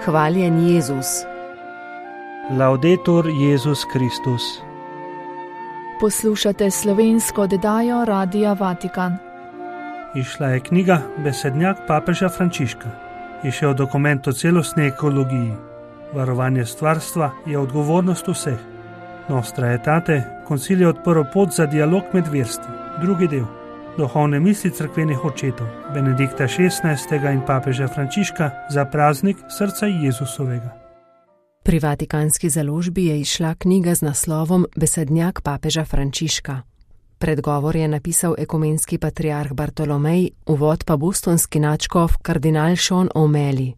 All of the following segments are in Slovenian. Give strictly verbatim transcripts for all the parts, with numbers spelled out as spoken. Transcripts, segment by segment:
Hvaljen Jezus. Laudetur Jezus Kristus. Poslušate slovensko oddajo Radia Vatikan. Išla je knjiga Besednjak papeža Frančiška. Išel dokument o celostni ekologiji. Varovanje stvarstva je odgovornost vseh. Nostra Aetate, koncil je odprl pot za dialog med verstvi. Drugi del. Duhovne misli cerkvenih očetov Benedikta šestnajstega in papeža Frančiška za praznik srca Jezusovega. Pri Vatikanski založbi je izšla knjiga z naslovom Besednjak papeža Frančiška. Predgovor je napisal ekumenski patriarh Bartolomej, uvod pa bostonski nadškof kardinal Sean O'Malley.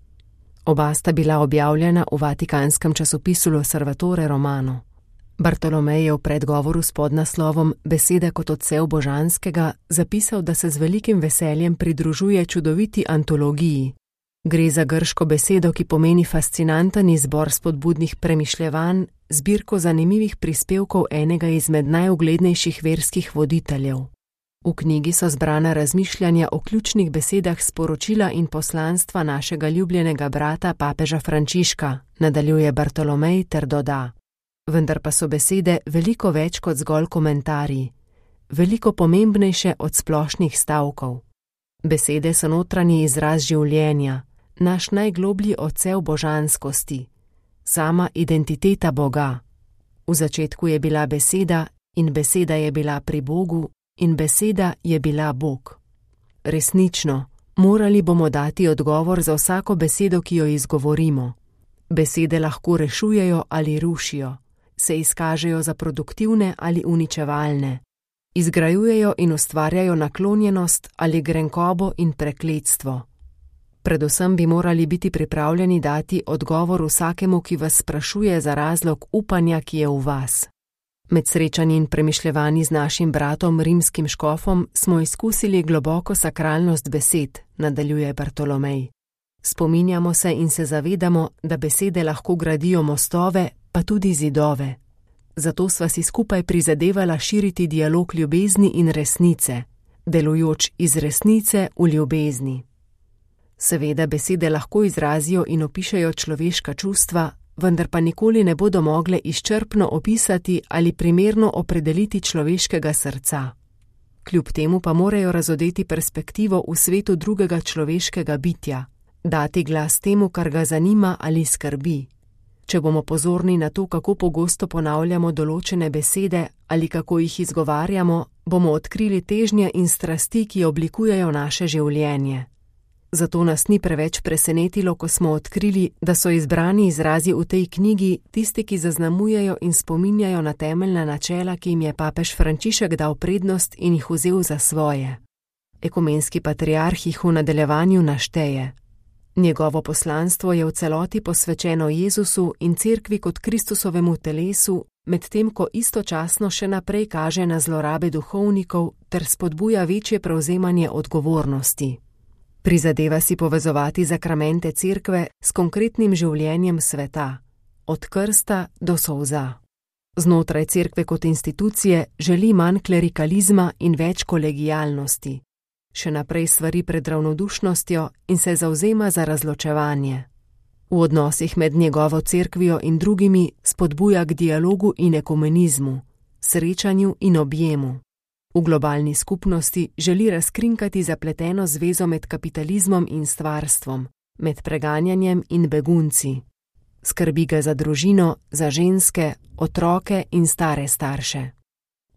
Oba sta bila objavljena v vatikanskem časopisu L'Osservatore Romano. Bartolomej je v predgovoru s podnaslovom Besede kot odsev božanskega zapisal, da se z velikim veseljem pridružuje čudoviti antologiji. Gre za grško besedo, ki pomeni fascinanten izbor spodbudnih premišljevanj, zbirko zanimivih prispevkov enega izmed najuglednejših verskih voditeljev. V knjigi so zbrana razmišljanja o ključnih besedah sporočila in poslanstva našega ljubljenega brata papeža Frančiška, nadaljuje Bartolomej ter doda. Vendar pa so besede veliko več kot zgolj komentarji, veliko pomembnejše od splošnih stavkov. Besede so notranji izraz življenja, naš najgloblji odsev božanskosti, sama identiteta Boga. V začetku je bila beseda in beseda je bila pri Bogu in beseda je bila Bog. Resnično, morali bomo dati odgovor za vsako besedo, ki jo izgovorimo. Besede lahko rešujejo ali rušijo, se izkažejo za produktivne ali uničevalne, izgrajujejo in ustvarjajo naklonjenost ali grenkobo in prekletstvo. Predvsem bi morali biti pripravljeni dati odgovor vsakemu, ki vas sprašuje za razlog upanja, ki je v vas. Med srečanji in premišljevanji z našim bratom rimskim škofom smo izkusili globoko sakralnost besed, nadaljuje Bartolomej. Spominjamo se in se zavedamo, da besede lahko gradijo mostove, pa tudi zidove. Zato sva si skupaj prizadevala širiti dialog ljubezni in resnice, delujoč iz resnice v ljubezni. Seveda besede lahko izrazijo in opišejo človeška čustva, vendar pa nikoli ne bodo mogle izčrpno opisati ali primerno opredeliti človeškega srca. Kljub temu pa morajo razodeti perspektivo v svetu drugega človeškega bitja, dati glas temu, kar ga zanima ali skrbi. Če bomo pozorni na to, kako pogosto ponavljamo določene besede ali kako jih izgovarjamo, bomo odkrili težnje in strasti, ki oblikujejo naše življenje. Zato nas ni preveč presenetilo, ko smo odkrili, da so izbrani izrazi v tej knjigi tisti, ki zaznamujejo in spominjajo na temeljna načela, ki jim je papež Frančišek dal prednost in jih vzel za svoje. Ekumenski patriarh jih v nadaljevanju našteje. Njegovo poslanstvo je v celoti posvečeno Jezusu in cerkvi kot Kristusovemu telesu, medtem ko istočasno še naprej kaže na zlorabe duhovnikov ter spodbuja večje prevzemanje odgovornosti. Prizadeva si povezovati zakramente cerkve s konkretnim življenjem sveta, od krsta do solza. Znotraj cerkve kot institucije želi manj klerikalizma in več kolegialnosti. Še naprej svari pred ravnodušnostjo in se zavzema za razločevanje. V odnosih med njegovo cerkvijo in drugimi spodbuja k dialogu in ekumenizmu, srečanju in objemu. V globalni skupnosti želi razkrinkati zapleteno zvezo med kapitalizmom in stvarstvom, med preganjanjem in begunci. Skrbi ga za družino, za ženske, otroke in stare starše.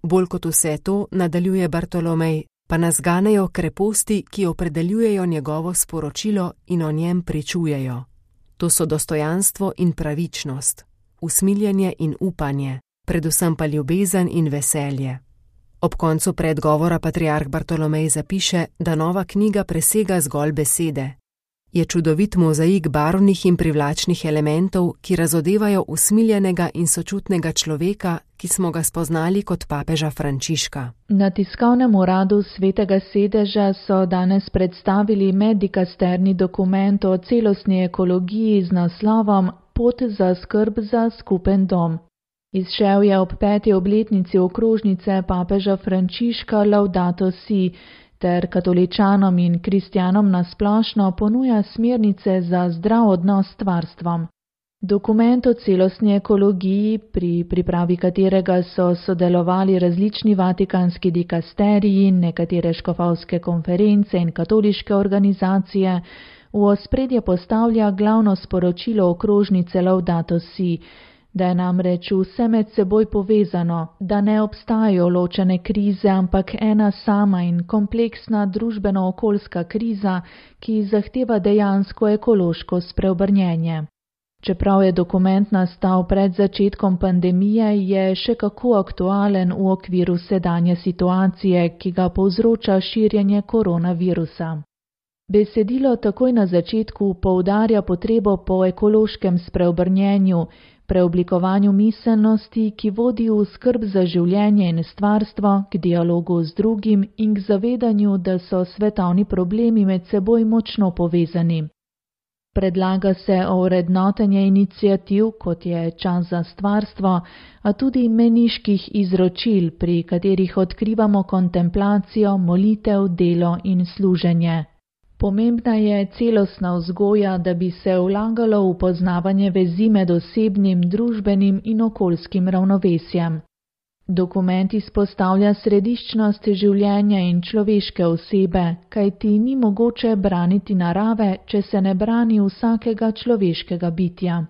Bolj kot vse to, nadaljuje Bartolomej, pa nas ganejo kreposti, ki opredeljujejo njegovo sporočilo in o njem pričujejo. To so dostojanstvo in pravičnost, usmiljenje in upanje, predvsem pa ljubezen in veselje. Ob koncu predgovora patriarh Bartolomej zapiše, da nova knjiga presega zgolj besede. Je čudovit mozaik barvnih in privlačnih elementov, ki razodevajo usmiljenega in sočutnega človeka, ki smo ga spoznali kot papeža Frančiška. Na tiskovnem uradu Svetega sedeža so danes predstavili meddikasterni dokument o celostni ekologiji z naslovom Pot za skrb za skupen dom. Izšel je ob peti obletnici okrožnice papeža Frančiška Laudato Si, ter katoličanom in kristjanom nasplošno ponuja smernice za zdrav odnos s stvarstvom. Dokument o celostni ekologiji, pri pripravi katerega so sodelovali različni vatikanski dikasteriji, nekatere škofovske konference in katoliške organizacije, v ospredje postavlja glavno sporočilo okrožnice Laudato Si, da je namreč vse med seboj povezano, da ne obstajajo ločene krize, ampak ena sama in kompleksna družbeno-okoljska kriza, ki zahteva dejansko ekološko spreobrnjenje. Čeprav je dokument nastal pred začetkom pandemije, je še kako aktualen v okviru sedanje situacije, ki ga povzroča širjenje koronavirusa. Besedilo takoj na začetku poudarja potrebo po ekološkem spreobrnjenju, preoblikovanju miselnosti, ki vodi v skrb za življenje in stvarstvo, k dialogu z drugim in k zavedanju, da so svetovni problemi med seboj močno povezani. Predlaga se ovrednotenje iniciativ, kot je čas za stvarstvo, a tudi meniških izročil, pri katerih odkrivamo kontemplacijo, molitev, delo in služenje. Pomembna je celostna vzgoja, da bi se vlagalo v poznavanje vezi med osebnim, družbenim in okoljskim ravnovesjem. Dokument izpostavlja središčnost življenja in človeške osebe, kajti ni mogoče braniti narave, če se ne brani vsakega človeškega bitja.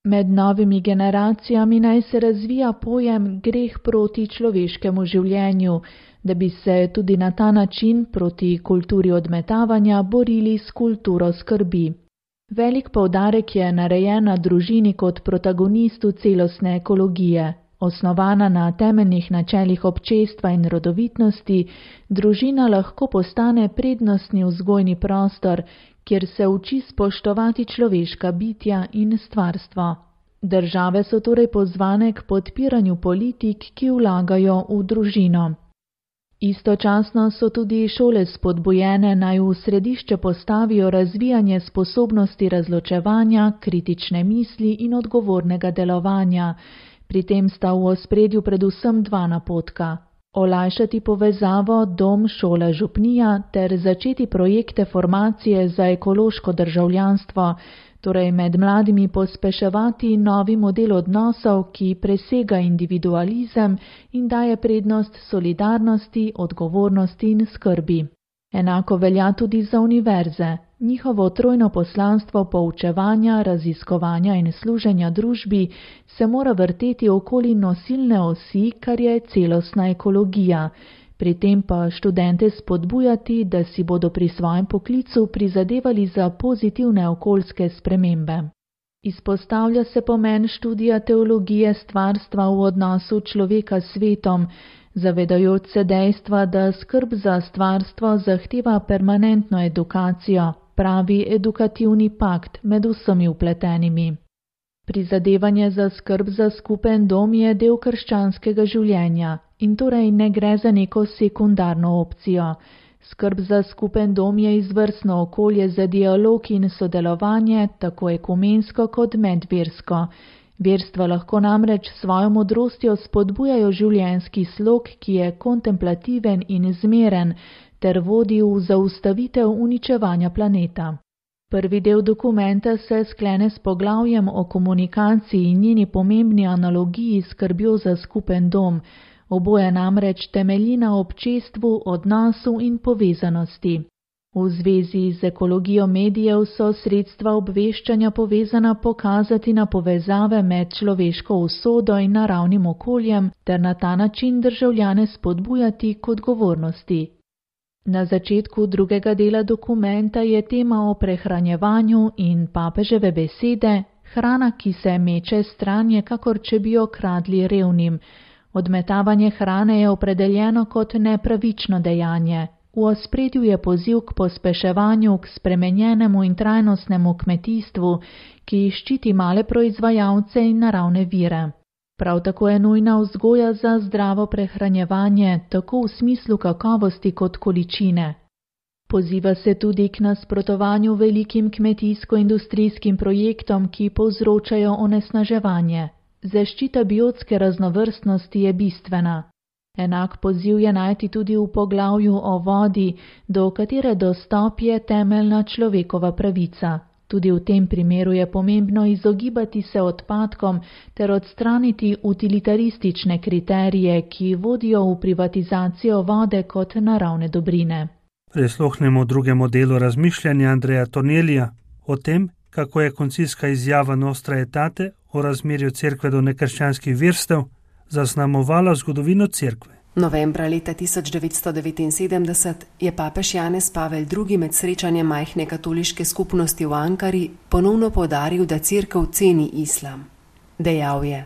Med novimi generacijami naj se razvija pojem greh proti človeškemu življenju, da bi se tudi na ta način proti kulturi odmetavanja borili s kulturo skrbi. Velik poudarek je narejen na družini kot protagonistu celostne ekologije. Osnovana na temeljnih načelih občestva in rodovitnosti, družina lahko postane prednostni vzgojni prostor, kjer se uči spoštovati človeška bitja in stvarstvo. Države so torej pozvane k podpiranju politik, ki vlagajo v družino. Istočasno so tudi šole spodbujene, naj v središče postavijo razvijanje sposobnosti razločevanja, kritične misli in odgovornega delovanja. Pri tem sta v ospredju predvsem dva napotka: olajšati povezavo dom-šola župnija ter začeti projekte formacije za ekološko državljanstvo, torej med mladimi pospeševati novi model odnosov, ki presega individualizem in daje prednost solidarnosti, odgovornosti in skrbi. Enako velja tudi za univerze. Njihovo trojno poslanstvo poučevanja, raziskovanja in služenja družbi se mora vrteti okoli nosilne osi, kar je celostna ekologija. Pri tem pa študente spodbujati, da si bodo pri svojem poklicu prizadevali za pozitivne okoljske spremembe. Izpostavlja se pomen študija teologije stvarstva v odnosu človeka s svetom, zavedajoč se dejstva, da skrb za stvarstvo zahteva permanentno edukacijo, pravi edukativni pakt med vsemi vpletenimi. Prizadevanje za skrb za skupen dom je del krščanskega življenja in torej ne gre za neko sekundarno opcijo. Skrb za skupen dom je izvrstno okolje za dialog in sodelovanje, tako ekumensko kot medversko. Verstva lahko namreč svojo modrostjo spodbujajo življenjski slog, ki je kontemplativen in zmeren, ter vodi v zaustavitev uničevanja planeta. Prvi del dokumenta se sklene s poglavjem o komunikaciji in njeni pomembni analogiji s skrbjo za skupen dom. Oboje namreč temelji na občestvu, odnosu in povezanosti. V zvezi z ekologijo medijev so sredstva obveščanja povezana pokazati na povezave med človeško usodo in naravnim okoljem ter na ta način državljane spodbujati k odgovornosti. Na začetku drugega dela dokumenta je tema o prehranjevanju in papeževe besede: hrana, ki se meče stran, je kakor če bi jo kradli revnim. Odmetavanje hrane je opredeljeno kot nepravično dejanje. V ospredju je poziv k pospeševanju, k spremenjenemu in trajnostnemu kmetijstvu, ki ščiti male proizvajalce in naravne vire. Prav tako je nujna vzgoja za zdravo prehranjevanje, tako v smislu kakovosti kot količine. Poziva se tudi k nasprotovanju velikim kmetijsko-industrijskim projektom, ki povzročajo onesnaževanje. Zaščita biotske raznovrstnosti je bistvena. Enak poziv je najti tudi v poglavju o vodi, do katere dostop je temeljna človekova pravica. Tudi v tem primeru je pomembno izogibati se odpadkom ter odstraniti utilitaristične kriterije, ki vodijo v privatizacijo vode kot naravne dobrine. Prisluhnemo drugemu delu razmišljanja Andreja Tornelija o tem, kako je koncilska izjava Nostra Aetate o razmerju cerkve do nekrščanskih verstev zaznamovala zgodovino cerkve. Novembra leta tisoč devetsto devetinsedemdeset je papež Janez Pavel drugi med srečanjem majhne katoliške skupnosti v Ankari ponovno poudaril, da cerkev ceni islam. Dejal je: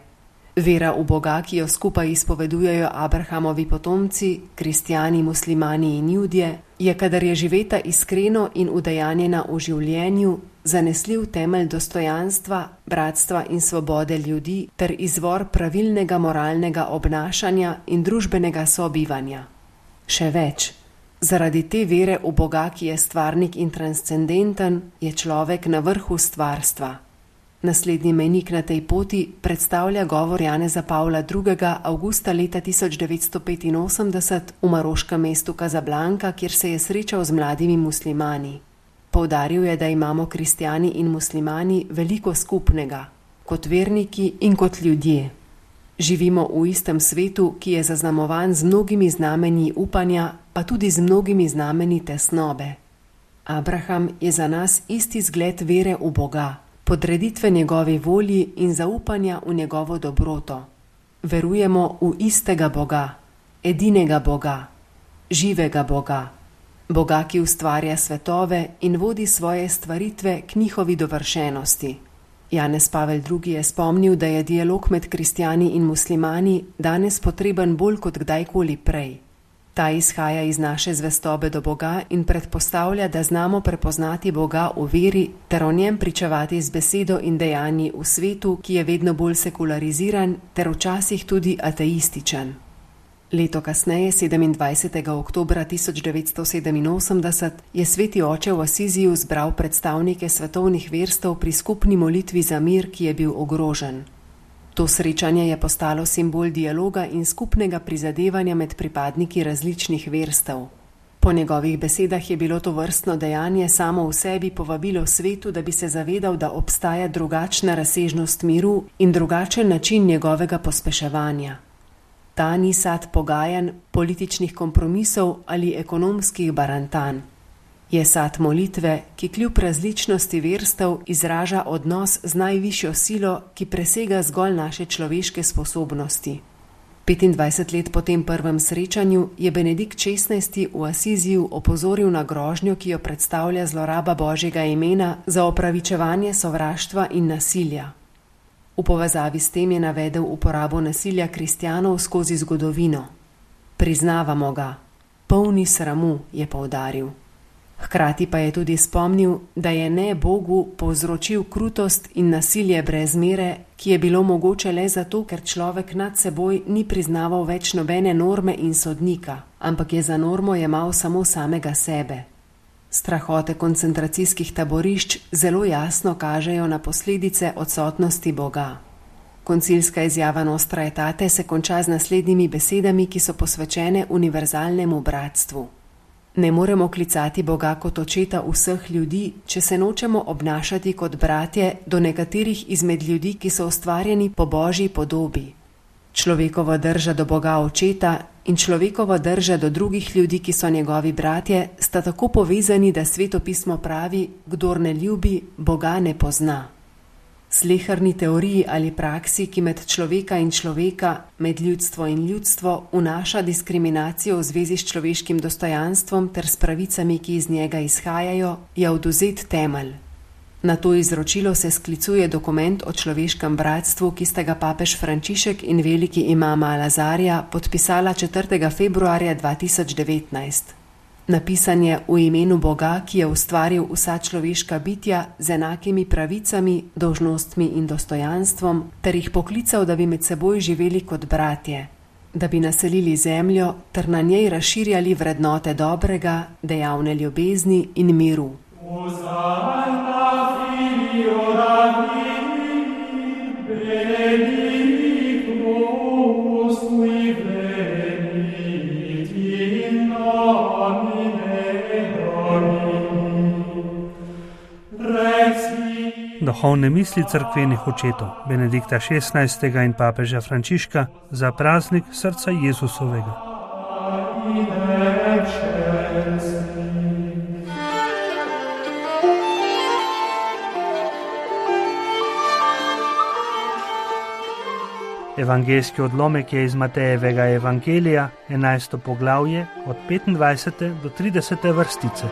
vera v Boga, ki jo skupaj izpovedujejo Abrahamovi potomci, kristjani, muslimani in judje, je, kadar je živeta iskreno in udejanjena v življenju, zanesljiv temelj dostojanstva, bratstva in svobode ljudi ter izvor pravilnega moralnega obnašanja in družbenega sobivanja. Še več, zaradi te vere v Boga, ki je stvarnik in transcendenten, je človek na vrhu stvarstva. Naslednji mejnik na tej poti predstavlja govor Janeza Pavla drugega. avgusta leta tisoč devetsto petinosemdeset v maroškem mestu Casablanca, kjer se je srečal z mladimi muslimani. Poudaril je, da imamo kristjani in muslimani veliko skupnega, kot verniki in kot ljudje. Živimo v istem svetu, ki je zaznamovan z mnogimi znamenji upanja, pa tudi z mnogimi znamenji tesnobe. Abraham je za nas isti zgled vere v Boga, podreditve njegovi volji in zaupanja v njegovo dobroto. Verujemo v istega Boga, edinega Boga, živega Boga, Boga, ki ustvarja svetove in vodi svoje stvaritve k njihovi dovršenosti. Janez Pavel drugi je spomnil, da je dialog med kristjani in muslimani danes potreben bolj kot kdajkoli prej. Ta izhaja iz naše zvestobe do Boga in predpostavlja, da znamo prepoznati Boga v veri ter o njem pričevati z besedo in dejanji v svetu, ki je vedno bolj sekulariziran ter včasih tudi ateističen. Leto kasneje, sedemindvajsetega oktobra tisoč devetsto sedeminosemdeset, je sveti oče v Asiziju zbral predstavnike svetovnih verstev pri skupni molitvi za mir, ki je bil ogrožen. To srečanje je postalo simbol dialoga in skupnega prizadevanja med pripadniki različnih verstev. Po njegovih besedah je bilo to vrstno dejanje samo v sebi povabilo svetu, da bi se zavedal, da obstaja drugačna razsežnost miru in drugačen način njegovega pospeševanja. Ta ni sad pogajanj, političnih kompromisov ali ekonomskih barantanj. Je sad molitve, ki kljub različnosti verstev izraža odnos z najvišjo silo, ki presega zgolj naše človeške sposobnosti. petindvajset let po tem prvem srečanju je Benedikt šestnajsti v Asiziju opozoril na grožnjo, ki jo predstavlja zloraba Božjega imena za opravičevanje sovraštva in nasilja. V povezavi s tem je navedel uporabo nasilja kristjanov skozi zgodovino. Priznavamo ga, polni sramu, je poudaril. Hkrati pa je tudi spomnil, da je ne Bogu povzročil krutost in nasilje brez mere, ki je bilo mogoče le zato, ker človek nad seboj ni priznaval več nobene norme in sodnika, ampak je za normo jemal samo samega sebe. Strahote koncentracijskih taborišč zelo jasno kažejo na posledice odsotnosti Boga. Koncilska izjava Nostra Aetate se konča z naslednjimi besedami, ki so posvečene univerzalnemu bratstvu. Ne moremo klicati Boga kot očeta vseh ljudi, če se nočemo obnašati kot bratje do nekaterih izmed ljudi, ki so ustvarjeni po Božji podobi. Človekova drža do Boga očeta in človekova drža do drugih ljudi, ki so njegovi bratje, sta tako povezani, da Sveto pismo pravi, kdor ne ljubi, Boga ne pozna. Sleherni teoriji ali praksi, ki med človeka in človeka, med ljudstvo in ljudstvo vnaša diskriminacijo v zvezi s človeškim dostojanstvom ter s pravicami, ki iz njega izhajajo, je odvzet temelj. Na to izročilo se sklicuje dokument o človeškem bratstvu, ki sta ga papež Frančišek in veliki imam Al-Azarja podpisala četrtega februarja dva tisoč devetnajst. Napisan je v imenu Boga, ki je ustvaril vsa človeška bitja z enakimi pravicami, dolžnostmi in dostojanstvom, ter jih poklical, da bi med seboj živeli kot bratje, da bi naselili zemljo ter na njej razširjali vrednote dobrega, dejavne ljubezni in miru. Duhovne misli cerkvenih očetov Benedikta šestnajstega in papeža Frančiška za praznik srca Jezusovega. Evangeljski odlomek je iz Matejevega evangelija, enajsto poglavje, od petindvajsete do tridesete vrstice.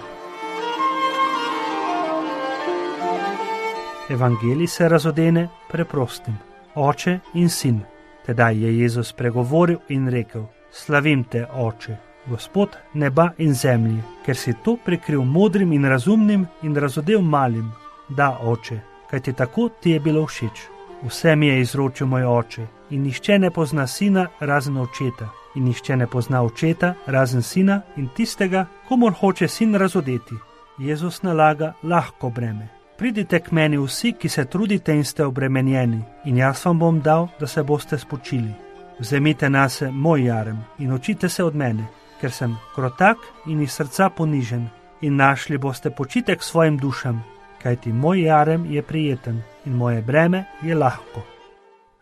Evangelij se razodene preprostim: Oče in sin. Tedaj je Jezus pregovoril in rekel: Slavim te, Oče, Gospod neba in zemlje, ker si to prekril modrim in razumnim in razodel malim. Da, Oče, kajti tako ti je bilo všeč. Vse mi je izročil moj Oče, in nihče ne pozna sina razen očeta, in nihče ne pozna očeta razen sina in tistega, komur hoče sin razodeti. Jezus nalaga lahko breme. Pridite k meni vsi, ki se trudite in ste obremenjeni, in jaz vam bom dal, da se boste spočili. Vzemite nase moj jarem in učite se od mene, ker sem krotak in iz srca ponižen, in našli boste počitek svojim dušam, kajti moj jarem je prijeten in moje breme je lahko.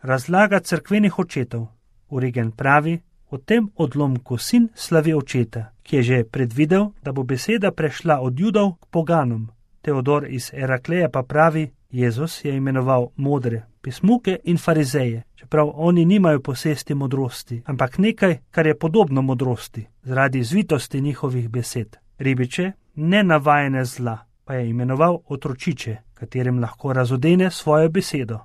Razlaga cerkvenih očetov. Origen pravi: o tem odlomku sin slavi očeta, ki je že predvidel, da bo beseda prešla od Judov k poganom. Teodor iz Erakleja pa pravi: Jezus je imenoval modre, pismuke in farizeje, čeprav oni nimajo posesti modrosti, ampak nekaj, kar je podobno modrosti, zaradi zvitosti njihovih besed. Ribiče, nenavajene zla, pa je imenoval otročiče, katerim lahko razodene svojo besedo.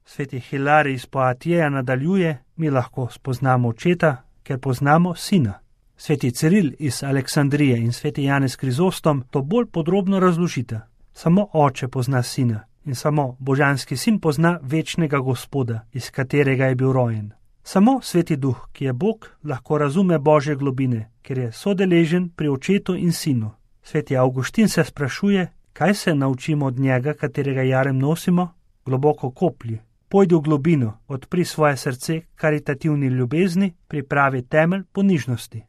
Sveti Hilarij iz Poatjeja nadaljuje: mi lahko spoznamo očeta, ker poznamo sina. Sveti Ciril iz Aleksandrije in sveti Janez Krizostom to bolj podrobno razložita. Samo Oče pozna sina in samo božanski sin pozna večnega Gospoda, iz katerega je bil rojen. Samo sveti duh, ki je Bog, lahko razume Božje globine, ker je sodeležen pri očetu in sinu. Sveti Avguštin se sprašuje, kaj se naučimo od njega, katerega jarem nosimo? Globoko koplji. Pojdi v globino, odpri svoje srce karitativni ljubezni, pripravi temelj ponižnosti.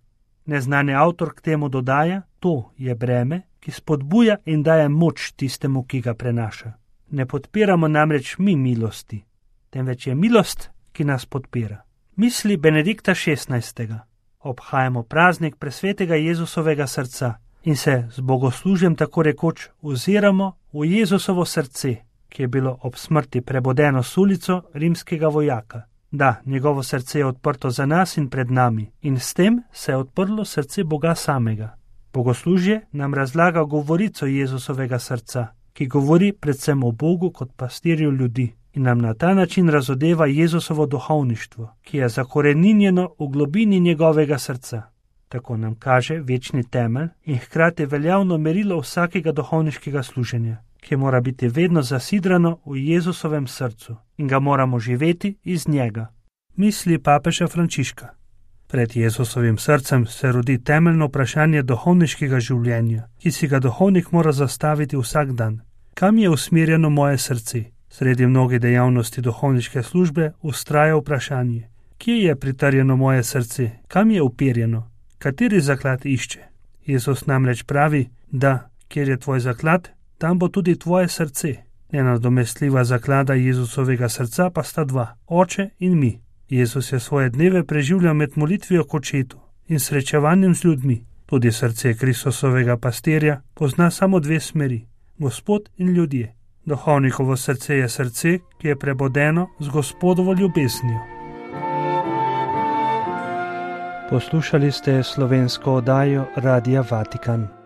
Neznani avtor k temu dodaja: to je breme, ki spodbuja in daje moč tistemu, ki ga prenaša. Ne podpiramo namreč mi milosti, temveč je milost, ki nas podpira. Misli Benedikta šestnajstega. Obhajamo praznik presvetega Jezusovega srca in se z bogoslužjem tako rekoč oziramo v Jezusovo srce, ki je bilo ob smrti prebodeno s ulico rimskega vojaka. Da, njegovo srce je odprto za nas in pred nami, in s tem se je odprlo srce Boga samega. Bogoslužje nam razlaga govorico Jezusovega srca, ki govori predvsem o Bogu kot pastirju ljudi in nam na ta način razodeva Jezusovo duhovništvo, ki je zakoreninjeno v globini njegovega srca. Tako nam kaže večni temelj in hkrati veljavno merilo vsakega duhovniškega služenja, ki mora biti vedno zasidrano v Jezusovem srcu in ga moramo živeti iz njega. Misli papeža Frančiška. Pred Jezusovim srcem se rodi temeljno vprašanje duhovniškega življenja, ki si ga duhovnik mora zastaviti vsak dan. Kam je usmerjeno moje srce? Sredi mnogih dejavnosti duhovniške službe vztraja vprašanje: kje je pritrjeno moje srce? Kam je uperjeno? Kateri zaklad išče? Jezus namreč pravi, da kjer je tvoj zaklad, tam bo tudi tvoje srce. Nenadomestljiva zaklada Jezusovega srca pa sta dva: Oče in mi. Jezus je svoje dneve preživljal med molitvijo k očetu in srečevanjem z ljudmi. Tudi srce Kristusovega pastirja pozna samo dve smeri: Gospod in ljudje. Duhovnikovo srce je srce, ki je prebodeno z Gospodovo ljubeznijo. Poslušali ste slovensko oddajo Radia Vatikan.